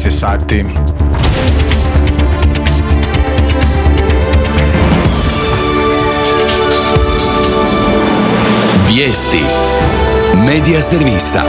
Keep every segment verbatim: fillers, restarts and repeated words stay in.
šesnaest je sati. Vijesti Medija servisa.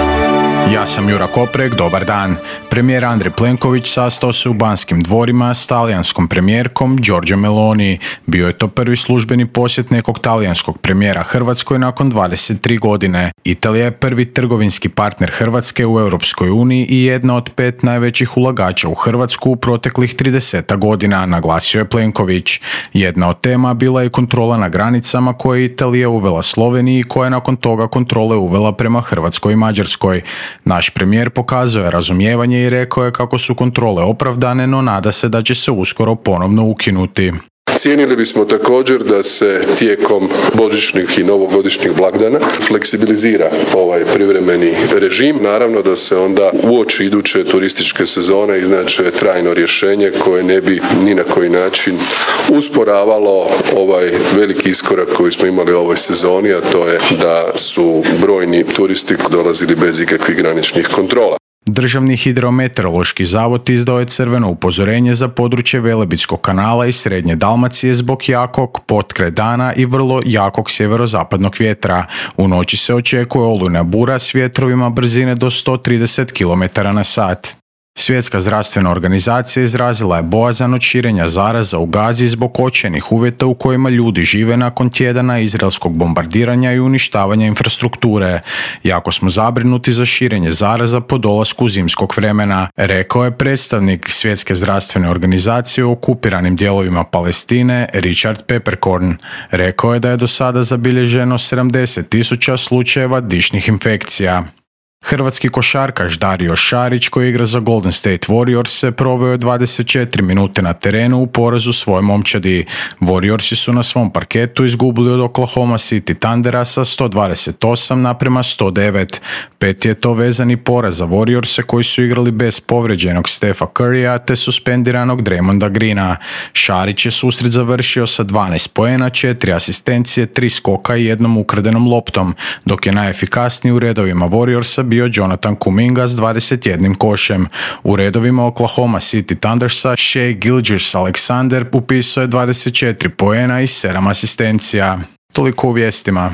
Ja sam Jura Koprek, dobar dan. Premijer Andrej Plenković sastao se u Banskim dvorima s talijanskom premijerkom Giorgia Meloni. Bio je to prvi službeni posjet nekog talijanskog premijera Hrvatskoj nakon dvadeset tri godine. Italija je prvi trgovinski partner Hrvatske u Europskoj uniji i jedna od pet najvećih ulagača u Hrvatsku u proteklih trideset godina, naglasio je Plenković. Jedna od tema bila je kontrola na granicama koje je Italija uvela Sloveniji i koja je nakon toga kontrole uvela prema Hrvatskoj i Mađarskoj. Naš premijer pokazao je razumijevanje i rekao je kako su kontrole opravdane, no nada se da će se uskoro ponovno ukinuti. Cijenili bismo također da se tijekom božićnih i novogodišnjih blagdana fleksibilizira ovaj privremeni režim. Naravno da se onda uoči iduće turističke sezone iznače trajno rješenje koje ne bi ni na koji način usporavalo ovaj veliki iskorak koji smo imali u ovoj sezoni, a to je da su brojni turisti dolazili bez ikakvih graničnih kontrola. Državni hidrometeorološki zavod izdao je crveno upozorenje za područje Velebitskog kanala i Srednje Dalmacije zbog jakog potkraj dana i vrlo jakog sjeverozapadnog vjetra. U noći se očekuje olujna bura s vjetrovima brzine do sto trideset kilometara na sat. Svjetska zdravstvena organizacija izrazila je bojazan od širenja zaraza u Gazi zbog očajnih uvjeta u kojima ljudi žive nakon tjedana izraelskog bombardiranja i uništavanja infrastrukture. Jako smo zabrinuti za širenje zaraza po dolasku zimskog vremena, rekao je predstavnik Svjetske zdravstvene organizacije u okupiranim dijelovima Palestine Richard Peppercorn. Rekao je da je do sada zabilježeno sedamdeset tisuća slučajeva dišnih infekcija. Hrvatski košarkaš Dario Šarić, koji igra za Golden State Warriors, se proveo je dvadeset četiri minute na terenu u porazu svoje momčadi. Warriorsi su na svom parketu izgubili od Oklahoma City Thundera sa sto dvadeset osam naprema sto devet. Pet je to vezani poraz za Warriorse koji su igrali bez povređenog Stefa Currya te suspendiranog Draymonda Greena. Šarić je susret završio sa dvanaest poena, četiri asistencije, tri skoka i jednom ukradenom loptom, dok je najefikasniji u redovima Warriorsa bio Jonathan Kuminga s dvadeset jednim košem. U redovima Oklahoma City Thundersa Shai Gilgeous-Alexander upisao je dvadeset četiri poena i sedam asistencija. Toliko u vijestima.